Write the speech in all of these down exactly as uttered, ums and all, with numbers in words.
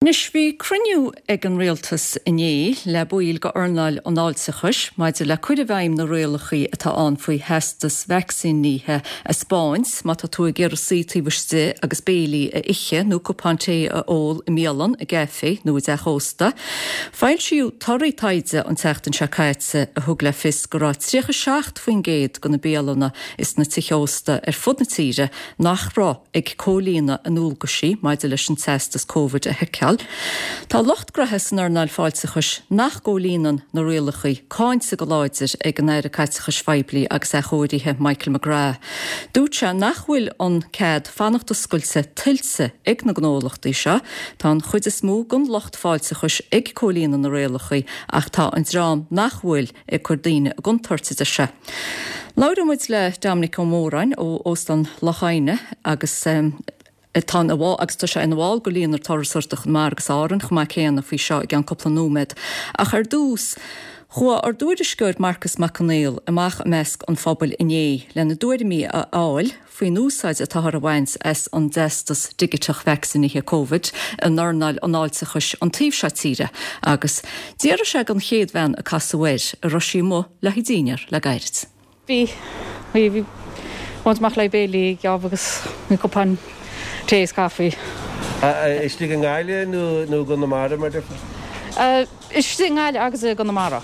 Anois bhí cruinniú ag an rialtas inné le baill d'earnáil an fháilteachais maidir le cur i bhfeidhm na rialacha atá ann faoi theastas vacsaínithe a thaispeáint má tá tú ag iarraidh suí taobh istigh agus béilí a ithe nó cupán tae a ól i mbialann, i gcaifé nó i dteach ósta. Foilsíodh torthaí taighde an tseachtain seo caite a thug le fios go raibh tríocha seacht faoin gcéad de na bialanna is na tithe ósta ar fud na tíre nach raibh ag comhlíonadh a ndualgaisí maidir leis an teastas Covid a sheiceáil. Tá lucht gnoithe san earnáil fáilteachais nach gcomhlíonann na rialacha cáinte go láidir ag an Aire Caiteachais Phoiblí agus Athchóirithe Michael McGrath. Dúirt sé nach bhfuil an cead fanacht oscailte tuillte ag na gnólachtaí seo, Tá an chuid is mó den lucht fáilteachais ag comhlíonadh na rialacha ach tá an dream nach bhfuil ag cur daoine i gcontúirt a deir sé. Labhróidh muid le Dominic Ó Móráin ó Óstán Loch Aidhne agus Tá ina bhall agus tá sé ina bhall de Líonra Turasóireachta Chonamara agus Árann chomh maith céanna faoi seo i gceann cúpla nóiméad. Ach ar dtús, chuaigh ár dtuairisceoir Marcas Mac Conghail amach i measc an phobail inné lena dtuairimí a fháil faoin úsáid atáthar a bhaint as an dteastas digiteach vacsaínithe Covid in earnáil an fháilteachais an taobh seo tíre agus d'fhiafraigh sé den chéad bhean a casadh air an raibh sí amuigh le haghaidh dinnéar le gairid. Bhí, bhí, bhí muid amach le béilí geábh agus bhí cupán tae is caife. Istigh i nGaillimh nó nó i gConamara mar déarfá? Istigh i nGaillimh agus i gConamara.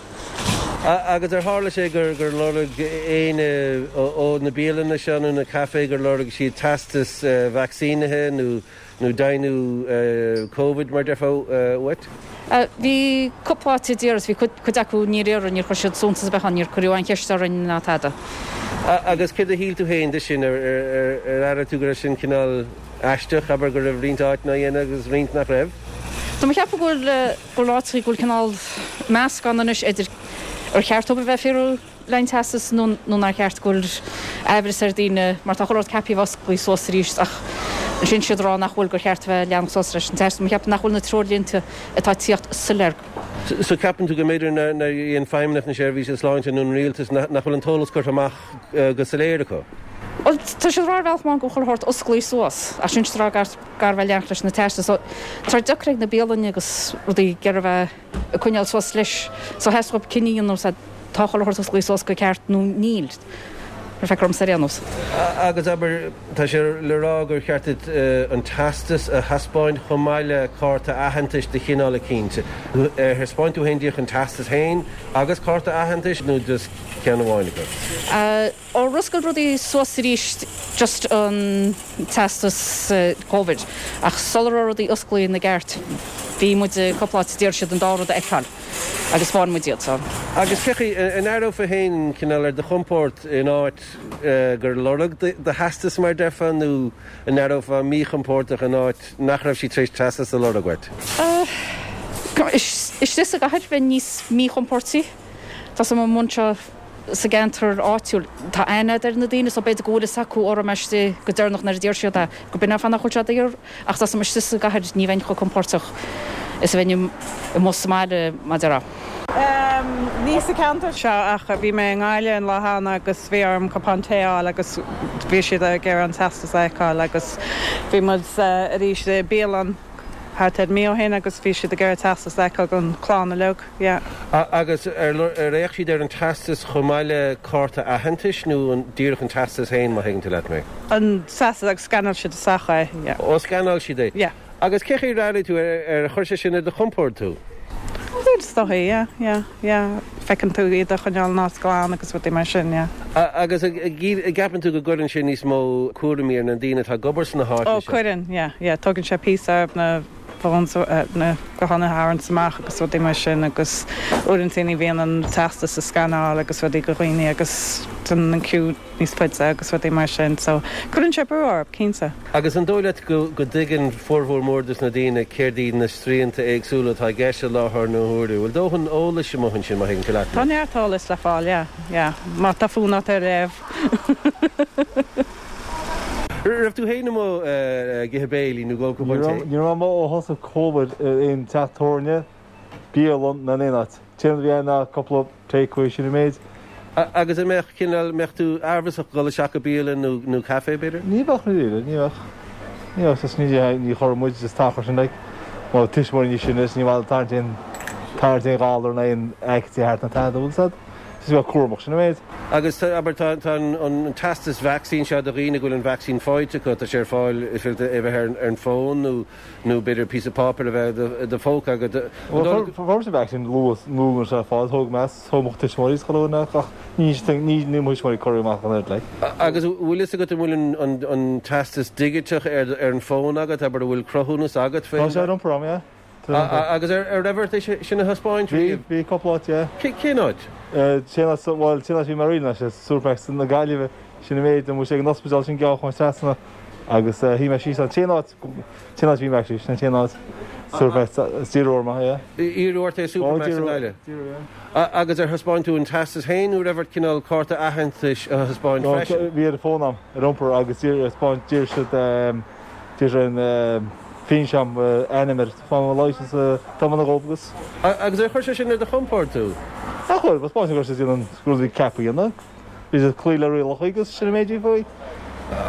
Agus ar tharla sé gur gur lorg éinne ó na bialanna seo nó na caifé gur lorg siad teastas vacsaínithe nó nó deimhniú Covid mar déarfá uait? Bhí cúpla áit a d'iarr is bhí cuid acu níor iarr, níor chuir siad suntas ar bith ann, níor cuireadh aon cheist orainn ná tada. Agus céard a shíl tú féin de sin, ar airigh tú go raibh sin cineál aisteach, abair go raibh roinnt áiteanna á dhéanamh agus roinnt nach raibh? Tá mé ag ceapadh go bhfuil, go bhfuil áiteachaí, go bhfuil cineál meascán anois idir ar cheart dóibh a bheith ag fiafraí le an teastas nó nó nár cheart go bhfuil aimhreas ar daoine mar tá chuile shórt ceaptha a bheith osclaithe suas arís ach ansin siad ag rá nach bhfuil gur cheart a bheith leanacht suas leis an teastas. Tá mé ag ceapadh nach bhfuil na treoirlínte atá ag tíocht soiléir. So ceapann tú go mb'fhéidir nár dhein Feidhmeannacht na Seirbhíse Sláinte nó an Rialtas nach bhfuil an t-eolas curtha amach go soiléir acu? Bhuel tá siad ag rá ar bhealach amháin go bhfuil chuile shórt osclaithe suas ach ansin siad ag rá gar gar a bheith leanacht leis na teastais so tá deacair ag na bialainne agus rudaí ag iarraidh a bheith ag coinneáil suas leis. So theastaigh uathu cinneadh a dhéanamh sea tá chuile shórt osclaithe suas go ceart nó níl, mar feictear dhomsa ar aon nós. Agus abair, tá sé le rá gur cheart duit an teastas a thaispeáint chomh maith le cárta aitheantais de chineál eicínt. Ar thaispeáin tú féin díreach an teastas féin agus cárta aitheantais nó just ceann amháin acu? Ó oscail rudaí suas arís just an teastas Covid ach sula raibh rudaí osclaithe ina gceart bhí muid i cúpla áit d'iarr siad an dá rud a fheiceáil agus thaispeáin muid iad so. Agus cén chaoi, an aireofá féin cineál ar do chompord in áit gur lorg do theastas mar déarfá nó an aireofá míchompordach in áit nach raibh siad tar éis teastas a lorg uait? Istigh sa gcathair bheinn níos míchompórtaí. Tá 's agam amuigh anseo sa gceantar áitiúil. Tá aithne a'd ar na daoine so b'fhéidir go bhfuil fhios acu an raibh mé istigh go deireanach nuair a d'iarr siad é, go b'in an fáth nach bhfuil sé ag iarraidh ach tá 's agam istigh sa gcathair ní bheinn chomh compóirteach is a bheinn amuigh sa mbaile mar a déarfá. Ní sa cheantar seo ach bhí mé i nGaillimh an lá cheana agus bhí orm cupán tae a fháil agus bhí siad ag iarraidh an teastas a fheiceáil agus bhí muid arís i bialann thart ar mí ó shin agus bhí siad ag iarraidh teastas a fheiceáil don chlann uilig. Yeah. Agus ar fhéach siad ar an teastas chomh maith le cárta aitheantais nó an díreach an teastas féin, má thuigeann tú leat mé? An teastas agus scanáil siad isteach é, yeah. Ó, scanáil siad é. Yeah. Agus cén chaoi ar airigh tú, ar chuir sé sin ar do chompord tú? Bhuel, is dóigh, yeah, yeah, yeah. Feiceann tú iad a choinneáil an áit glan agus rudaí mar sin, yeah. Agus an gceapann tú go gcuireann sé níos mó cúraimí ar na daoine atá ag obair sna háiteanna Ó, seo? cuireann, yeah, yeah. Tógann sé píosa orthu na phones, na gutháin a tharraingt amach agus rudaí mar sin agus uaireanta ní bhíonn an teastas a scanáil agus rudaí go dhaoine agus déanann an queue níos faide agus rudaí mar sin so cuireann sé brú orthu, cinnte. Agus an dóigh leat go go dtuigeann formhór mór dos na daoine céard iad na srianta éagsúla atá i gceist i láthair na huaire? Bhfuil dóthain eolais amuigh ansin má thuigeann tú leat mé? Tá neart eolais le fáil, yeah, yeah. Má tá fonn ort é a léamh. Raibh tú féin amuigh ag ithe béilí nó ag ól cupán tae? Ní raibh mé amuigh ó thosaigh Covid ar aon teach tábhairne, bialann ná in aon áit. Téann bhí ann ná cúpla takeaway sin an méid. Agus an mbeadh cineál, mbeadh tú aimhreasach dul isteach go bialann nó nó caife b'fhéidir? Ní bheadh ní bheadh. Ní bheadh just ní ní chuirfeadh muid isteach air sin like. Mo tuismitheoirí níos sine is ní bhfuil tarraingt aon tarraingt aon ghalar ná aon aictí thart na tada bhfuil said. Just bheith cúramach sin an méid. Agus tá, abair, tá, tá an, an teastas vacsaín seo do dhaoine go bhfuil an vacsaín faighte acu, tá sé ar fáil is féidir é bheith ar, ar an bhfón nó, nó b'fhéidir píosa páipéir a bheith i do phóca agat. Well, fuair mise vacsaín luath luath sé fáil thóg mé thóg mo tuismitheoirí is chuile dhuine ach ní ní ní mo thuismitheoirí cuireadh amach an oiread like. Agus bhfuil fhios agat an bhfuil an, an, an teastas digiteach ar, ar an bhfón agat, abair, an bhfuil cruthúnas agat Tá sé ar iompar agam, yeah. Agus ar ar raibh ort é sin a thaispeáint Bhí, bhí cúpla áit, yeah. Cén áit? Cén áit, bhuel, cén áit bhí mé riamh ná sé Supermacs na Gaillimhe, sin an méid, an bhfuil sé ag an ospidéal sin gearr chun trasna agus shuigh mé síos ann. Cén áit, cén áit bhí mé actually, sin an t-aon áit. Supermacs, is d'iarradh orm é, yeah. Iarradh ort é Supermacs i nGaillimh? D'iarradh, yeah. Agus ar thaispeáin tú an teastas féin nó raibh ort cineál cárta aitheantais a thaispeáint freisin? Bhí ar an bhfón agam, ar iompar agus d'iarr, d'iarr siad, d'iarr siad an, Fianaise ainm air, tá mo licence tá mo dhóibh agus. Agus ar chuir sé sin ar do chompord tú? Ar chuir, ba spáint go raibh siad ag déanamh an rud a bhí ceaptha a dhéanamh. Bhí siad ag cloí le rialacha agus sin an méid a bhí faoi.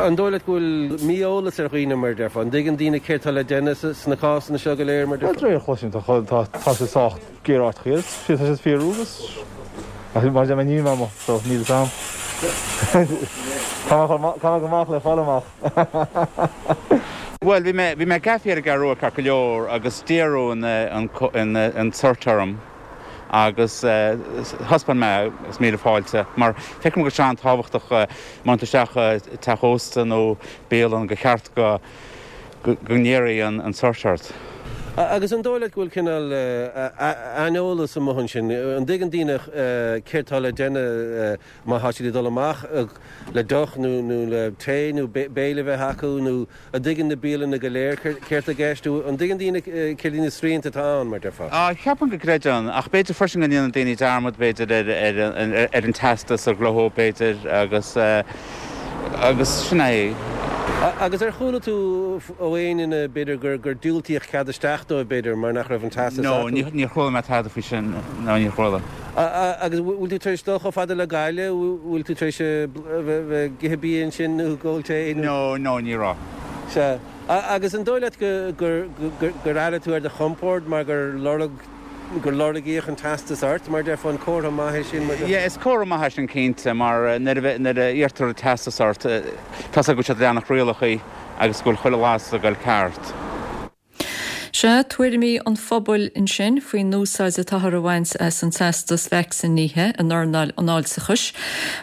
An dóigh leat go bhfuil mí-eolas ar dhaoine mar a déarfá? An dtuigeann daoine céard tá le déanamh sna cásanna seo go léir mar a déarfá? Bhuel, de réir a chloisim, tá tá siad sách géar áiteachaí agus tá siad fíorú agus ach mar a deir mé níl mé amuigh so níl fhios a'm. Caithfidh mé go amach le fáil amach. Bhuel, bhí mé, bhí mé i gcaife ar an gCeathrú Rua ceart go leor agus d'iarradh an, an, an cert orm agus thaispeáin mé agus míle fáilte mar feicim go bhfuil sé an-tábhachtach má théann tú isteach i teach ósta nó bialann gur cheart go, go, go n-iarrfaí an, an cert ort. Agus an dóigh leat go bhfuil cineál aineolas amuigh ansin? An dtuigeann daoine céard tá le déanamh má tá siad ag dul amach le deoch nó nó le tae nó béile a bheith acu nó an dtuigeann na bialanna go léir céard tá i gceist? An dtuigeann daoine céard iad na srianta atá ann, mar déarfá? Ceapaim go gcreideann, ach b'fhéidir freisin go ndéanann daoine dearmad b'fhéidir ar ar an teastas a ghnóthú b'fhéidir agus agus sin é. Agus ar chuala tú ó aon duine, b'fhéidir, gur gur diúltaíodh cead isteach dóibh, b'fhéidir, mar nach raibh an teastas No, acu? ní níor chuala mé tada faoi sin. No, níor chuala. Agus bhfuil tú tar éis dul chomh fada le Gaillimh? Bhfuil tú tar éis a bheith ag ithe bia ansin nó ag ól tae nó? No, no, ní raibh. Sea. Agus an dóigh leat go gur gur airigh tú ar do chompord mar gur lorg gur lorgaíodh an teastas ort, mar déarfá, an comhartha maith é sin, mar déarfá? Yeah, is comhartha maith é sin cinnte, mar nuair a nuair a iarrtar an teastas ort, tá 's agat go bhfuil siad ag leanacht rialacha agus go bhfuil chuile las ag goil ceart. Sea, tuairimí an phobail ansin faoin úsáid atáthar a bhaint as an teastas vacsaínithe in earnáil an fháilteachais.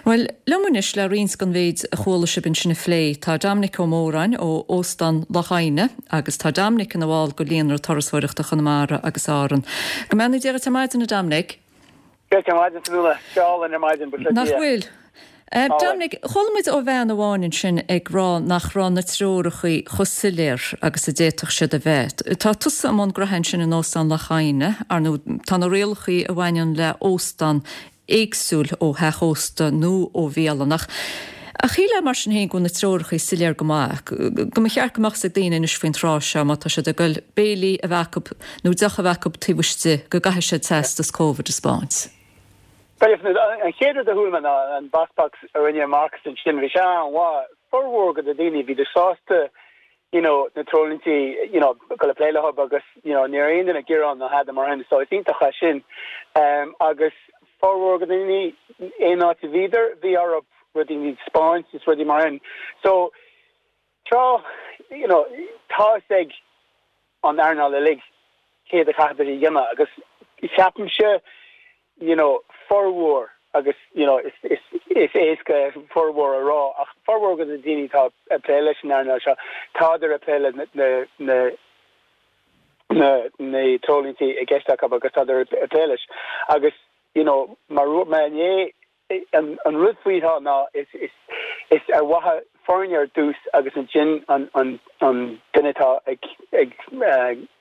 Bhuel, liom anois le roinnt den mhéid a chuala sibh ansin a phlé, tá Dominic Ó Móráin ó Óstán Loch Adhna agus tá Dominic ina bhall de Líonra Turasóireachta Chonamara agus Árann. Go mbeannaí Dia duit ar maidin, a Dominic. Dia duit ar maidin, Fionnuala. Sé álainn ar maidin, buíochas le Nach Dia. bhfuil? Dominic, chuala muid ó bhean amháin ansin ag rá nach raibh na treoracha chomh soiléir agus a d'fhéadfadh siad a bheith. Tá tusa i mbun gnoithe ansin in Óstán Loch Adhna, ar ndóigh tá na rialacha a bhaineann le óstán éagsúil ó theach ósta nó ó bhialann. Ach shílfeá mar sin féin go bhfuil na treoracha soiléir go maith, go mba cheart go mbeadh 's ag daoine anois faoin tráth seo má tá siad ag goil béilí a bheith acu nó deoch a bheith acu taobh istigh go gcaithfidh siad teastas Covid a 'spáint. Bhuel, an chéad rud a chuala mé ná an Boss Box a rinne Marcus ansin, bhí sé an-mhaith. Formhór de na daoine, bhíodar sásta you know na treoirlínte you know go le plé leo agus you know ní raibh aon duine ag gearán ná tada mar sin so is iontach é sin. Um, agus formhór de na daoine aon áit a bhíodar, bhí orthu rudaí a 'spáint is rudaí mar sin. So tráth you know tá a fhios ag an earnáil uilig céard a chaithfidh a dhéanamh agus ceapaimse you know formhór agus you know is is is éasca formhór a rá ach formhór de na daoine atá ag plé leis an earnáil seo tádar ag plé le na na na na na treoirlínte i gceist acu agus tádar ag plé leis agus you know mar mar inné an an rud faoi seo ná is is is ar mhaithe foirne ar dtús agus ansin an an an duine atá ag ag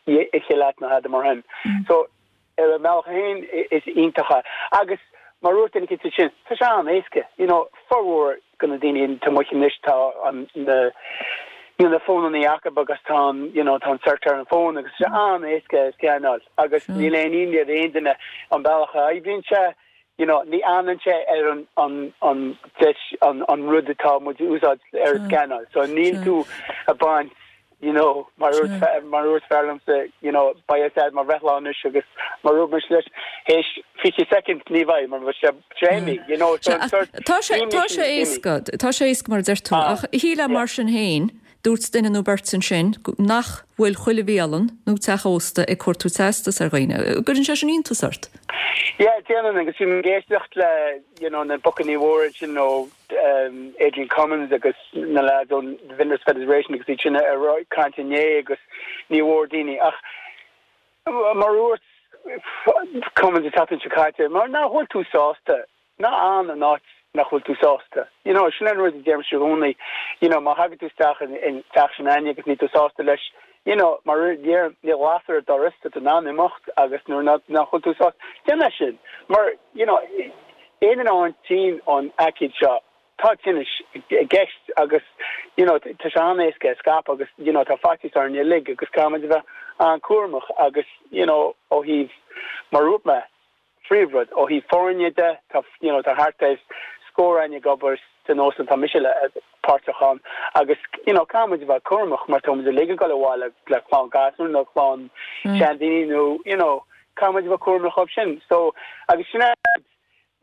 ithe leat nó tada mar sin. So ar a mbealach féin is iontach é. Agus mar a dúirt duine eicínt ansin, tá sé an-éasca, you know, formhór de na daoine atá amuigh anois tá an na you know na fónannaí acu agus tá an you know tá an cert ar an bhfón agus tá sé an-éasca a scannáil agus níl aon imní ar aon duine an bealach a oibríonn sé, you know, ní fhanann sé ar an an an deis an an rud atá muid a úsáid ar an scannáil. So níl tú ag baint you know, mar mar dúirt fear liomsa, you know, beidh sé mo bhreithlá anois agus mar dúirt mise leis théis fiche soicind ní bheidh mar bheadh sé tréimí, you know, so an sort Tá sé tá sé éasca, tá sé éasca mar a deir tú, ah, ach shílfeá mar sin féin, dúirt duine nó beirt ansin nach bhfuil chuile bhialann nó teach ósta ag cuartú teastas ar dhaoine. Cuireann sé sin iontas ort? Yeah, déanann agus bhí mé ag éisteacht le, you know, na bocannaí mhóra ansin ó um, Adrian Cummins agus na lads ón Vintners Federation agus iad sin ag caint inné agus ní mhór daoine ach mar dúirt Cummins an tseachtain seo caite mar nach bhfuil tú sásta ná fan in áit nach bhfuil tú sásta. You know, sin an rud a deirimse i gcónaí, you know, má thagann tú isteach in, in teach sin agus níl tú sásta leis, you know, mar níl lasair ar an doras tá tú in ann imeacht agus nuair nach nach bhfuil tú sásta déan é sin. Mar you know, aon an tinn an aicíd seo tá tinneas i gceist agus you know, tá sé an-éasca a scaipeadh agus you know, tá faitíos orainn uilig agus caithfimid a bheith an-chúramach agus you know, ó thaobh mar dúirt mé príomhrud ó thaobh foirne de tá you know, tá thart ar scór againn ag obair san óstán tá mise le páirteach ann agus you know, caithfimid a bheith cúramach mar táimid uilig ag dul abhaile le clann gasúr nó clann mm. seandaoine nó you know, caithfimid a bheith cúramach dhóibh sin. So agus sin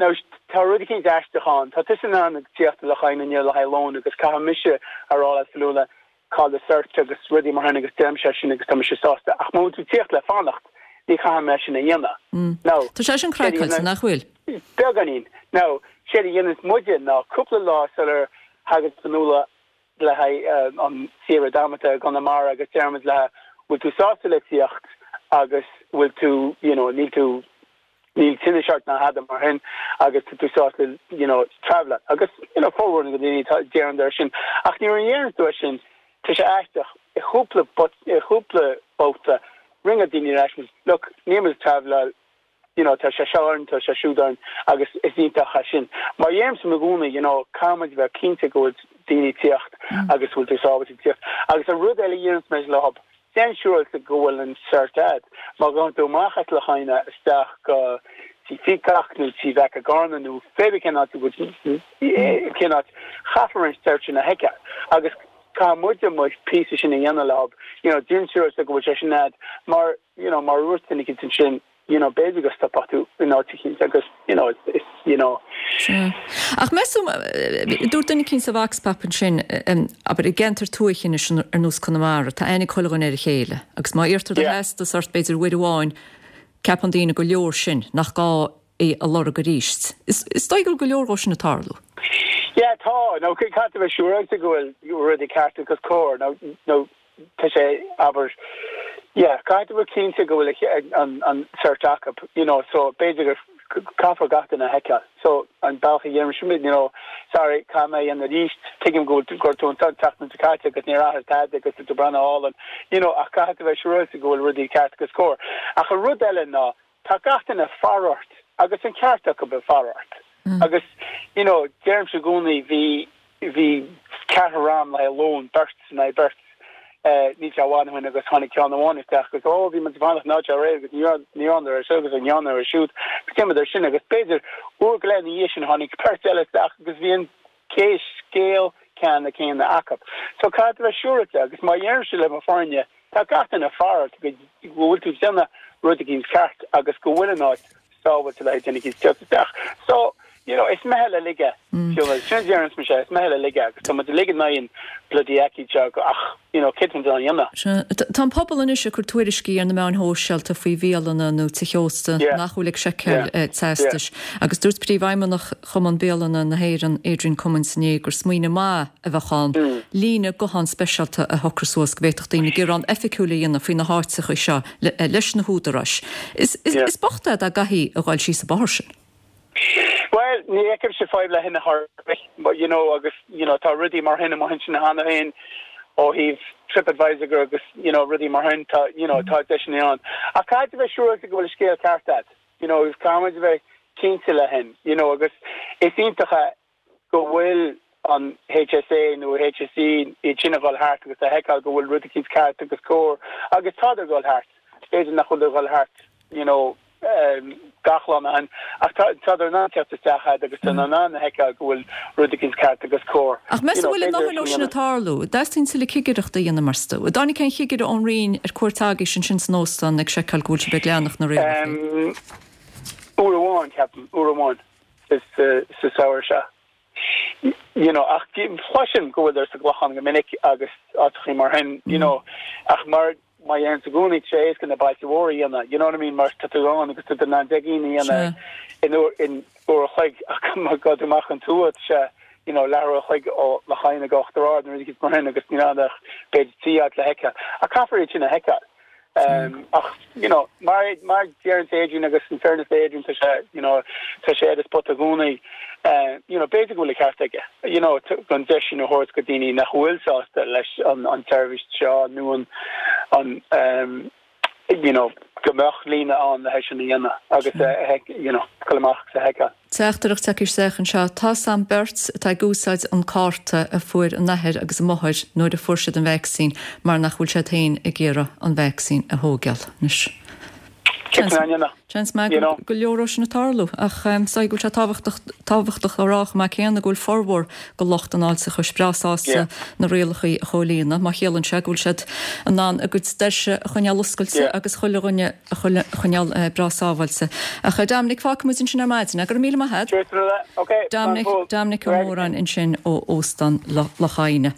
Now tá rud éicint aisteach ann, tá tusa in ann ag tíocht le haghaidh na le haghaidh lón agus caithfidh mise a rá leat Fionnuala cá bhfuil do cert agus rudaí mar sin agus deirimse sin agus tá mise sásta ach má tú tíocht le fanacht ní chaithfidh mé sin a dhéanamh. Now Tá sé sin craiceáilte nach bhfuil? Beagáinín. Now séard a dhéananns muide ná cúpla lá sular thagann Fionnuala le haghaidh an saoire damanta i gConamara agus deirimid léi bhfuil tú sásta le tíocht agus bhfuil tú you know níl tú níl tinneas ort ná tada mar sin agus tú sásta you know travel agus you know formhór na daoine deireann air sin ach nuair a dhéanann tú sin tá sé aisteach i chúpla i chúpla babhta rinne daoine leis look níl muid travel you know tá sé seo orainn tá sé siúd orainn agus is iontach é sin mar deirimse i gcónaí you know caithfimid bheith cinnte go bhfuil daoine tíocht mm. agus bhfuil tú sábháilte tíocht agus an rud eile dhéananns mé le hub Déan siúráilte go bhfuil an cert agat. Má ghabhann tú amach as Loch Adhna isteach go Tí Pheacock nó Tí Mheic an Ghorna nó pé cén áit cén áit caithfear an cert sin a fheiceáil. Agus caithfidh muide mo píosa sin a dhéanamh leo, you know, déan siúráilte go bhfuil sé sin agat mar you know, mar dúirt duine éicint sin you know, b'fhéidir go stopfadh tú in áit éicint agus you know, it's, it's, you know. Ach meas tú dúirt duine éicint sa vox pop ansin abair i gceantar tuaithe anois ar nós Conamara, tá aithne ag chuile dhuine ar a chéile, agus má iarrtar do theastas ort b'fhéidir uair amháin ceapann daoine go leor sin nach gá é a lorg arís. Is, is dóigh go leor dhó sin ag tarlú. Yeah, tá nó caithfidh tú bheith siúráilte go bhfuil rudaí ceart agus cóir nó nó tá sé abair yeah, caithfidh tú bheith cinnte go bhfuil an an cert acu, you know, so b'fhéidir gur caithfear gach duine a fheiceáil. So an bealach a dhéanaim you know, sorry, caithfidh mé an arís tuigim go gur tú an tseachtain seo caite agus níor athraigh tada agus tú breathnú álainn, you know, ach caithfidh tú bheith siúráilte go bhfuil rudaí ceart agus cóir. Ach an rud eile ná tá gach duine ag faire ort agus an ceart acu bheith ag faire ort. Mm. Agus you know, deirimse i gcónaí bhí bhí ceathrar ann le lón beirt na beirt níl sé i bhfad ó shin agus tháinig ceann amháin isteach agus ó bhí muid ag fanacht ná ré agus ní ní an ar seo agus an an ar siúd céim ar sin agus b'fhéidir uair go leith ina dhiaidh sin tháinig beirt eile isteach agus bhí an cé scéal ceanna céanna acu. So caithfidh tú bheith siúráilte agus má deirimse le mo fhoirne tá gach duine ag faire ort go bhfuil tú ag déanamh rud éicint ceart agus go bhfuil an áit sábháilte le duine éicint tíocht isteach. So you know, is meitheal uilig é. Sin deireann sé is meitheal uilig é agus tá muid uilig in aghaidh an bloody aicíd seo ach you know, céard a dhéanamh. Tá an pobal anois ag cur tuairiscí ar na meáin shóisialta faoi bhialanna nó tithe ósta nach bhfuil ag seiceáil teastais. Agus dúirt príomhfheidhmeannach Chumann Bialanna na hÉireann Adrian Cummins inné gur smaoineamh maith a bheadh ann líne guthán speisialta a shocrú suas go bhféadfadh daoine gearán oifigiúil a dhéanamh faoi na háiteacha seo leis na húdaráis. Is, is, is bocht é dá gcaithfí a dhul síos an bóthar sin. Well, ní fheicimse fadhb le hin a but you know agus you know tá rudaí mar sin mar sin cheana féin ó thaobh TripAdvisor agus you know rudaí mar sin tá you know tá deiseanna ann. Ach caithfidh tú bheith siúráilte go bhfuil scéal ceart agat. You know, is caithfidh muid bheith cinnte le hin, you know agus is iontach go bhfuil an HSA nó HSE iad sin ag dul thart agus a fheiceáil go bhfuil rudaí ceart agus cóir agus tá ag dul thart. B'fhéidir nach bhfuil ag dul thart, you know, um, gach lá ann ach tá in ann teacht isteach a'd agus tá in ann a fheiceáil go bhfuil rud éicint ceart agus cóir. Ach meas tú bhfuil a ndóthain ó sin ag tarlú? Dteastaíonn tuilleadh cigireachta a dhéanamh meas tú? An dtáinig aon chigire ón Roinn ar cuairt agaibhse ansin san óstán ag seiceáil go bhfuil sibh ag leanacht na rialacha? Uair amháin, ceapaim, uair amháin sa samhradh seo. You know, ach cloisim go bhfuil sa gClochán go minic agus áiteachaí mar sin, you know, ach mar má dhéanann tú i gcónaí tá sé éasca na bailte mhóra a dhéanamh, you know what I mean, mar tá tú ann agus tá tú in ann deich gcinn a dhéanamh in uair in uair a chloig ach má gabhann tú amach an tuath tá sé you know, leathuair a chloig ó Loch Adhna go Uachtar Ard nó rud mar sin agus níl ann ach b'fhéidir trí áit le feiceáil. Ach caithfear iad sin a fheiceáil. Um, ach you know, mar mar deireann Adrian agus in fairness Adrian tá sé you know, tá sé ar spot i gcónaí uh, you know, b'fhéidir go bhfuil an ceart aige you know, gan deis sin a thabhairt go daoine nach bhfuil sásta leis an an tseirbhís seo nó an an um, you know, go mbeadh líne ann le sin a dhéanamh agus uh, you know, cul amach sa heca. Teachtaireacht tagtha isteach anseo tá sam beirt atá ag úsáid an cárta a fuair a n-athair agus a máthair nuair a fuair siad an vacsaín mar nach bhfuil siad féin ag iarraidh an vacsaín a thógáil anois. Seans maith go leor sin ag tarlú ach um, sa go sé tábhachtach a rá mar céanna go bhfuil formhór go lucht an fháilteachais breá sásta na rialacha a chomhlíonadh má chiallaíonn sé go bhfuil siad in ann a gcuid doirse a choinneáil oscailte agus chuile dhuine a choinneáil eh, breá sábháilte. Ach eh, Dominic fágfaimid ansin ar maidin, go raibh míle maith agat? Dominic Dominic Ó Móráin ansin ó Óstán Loch Adhna.